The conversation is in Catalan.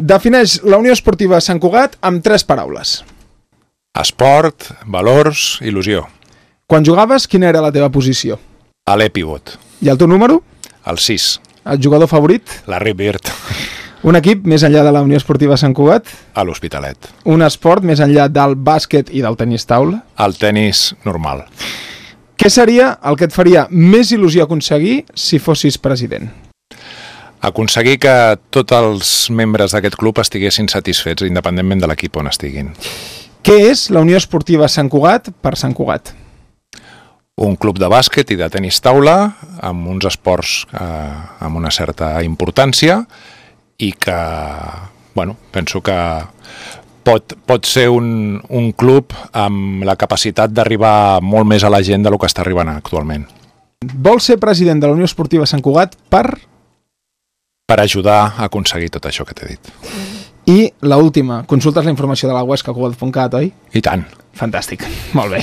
Defineix la Unió Esportiva Sant Cugat amb 3 paraules. Esport, valors, il·lusió. Quan jugaves, quina era la teva posició? A l'e-pivot. I el teu número? El 6. El jugador favorit? Larry Bird. Un equip més enllà de la Unió Esportiva Sant Cugat? A l'Hospitalet. Un esport més enllà del bàsquet i del tenis taula? El tenis normal. Què seria el que et faria més il·lusió aconseguir si fossis president? Aconseguir que tots els membres d'aquest club estiguessin satisfets, independentment de l'equip on estiguin. Què és la Unió Esportiva Sant Cugat per Sant Cugat? Un club de bàsquet i de tenis taula, amb uns esports amb una certa importància i que, bueno, penso que pot ser un club amb la capacitat d'arribar molt més a la gent del que està arribant actualment. Vols ser president de la Unió Esportiva Sant Cugat per ajudar a aconseguir tot això que t'he dit. I l'última, consultes la informació de la Huesca Cugat.cat, oi? I tant. Fantàstic, molt bé.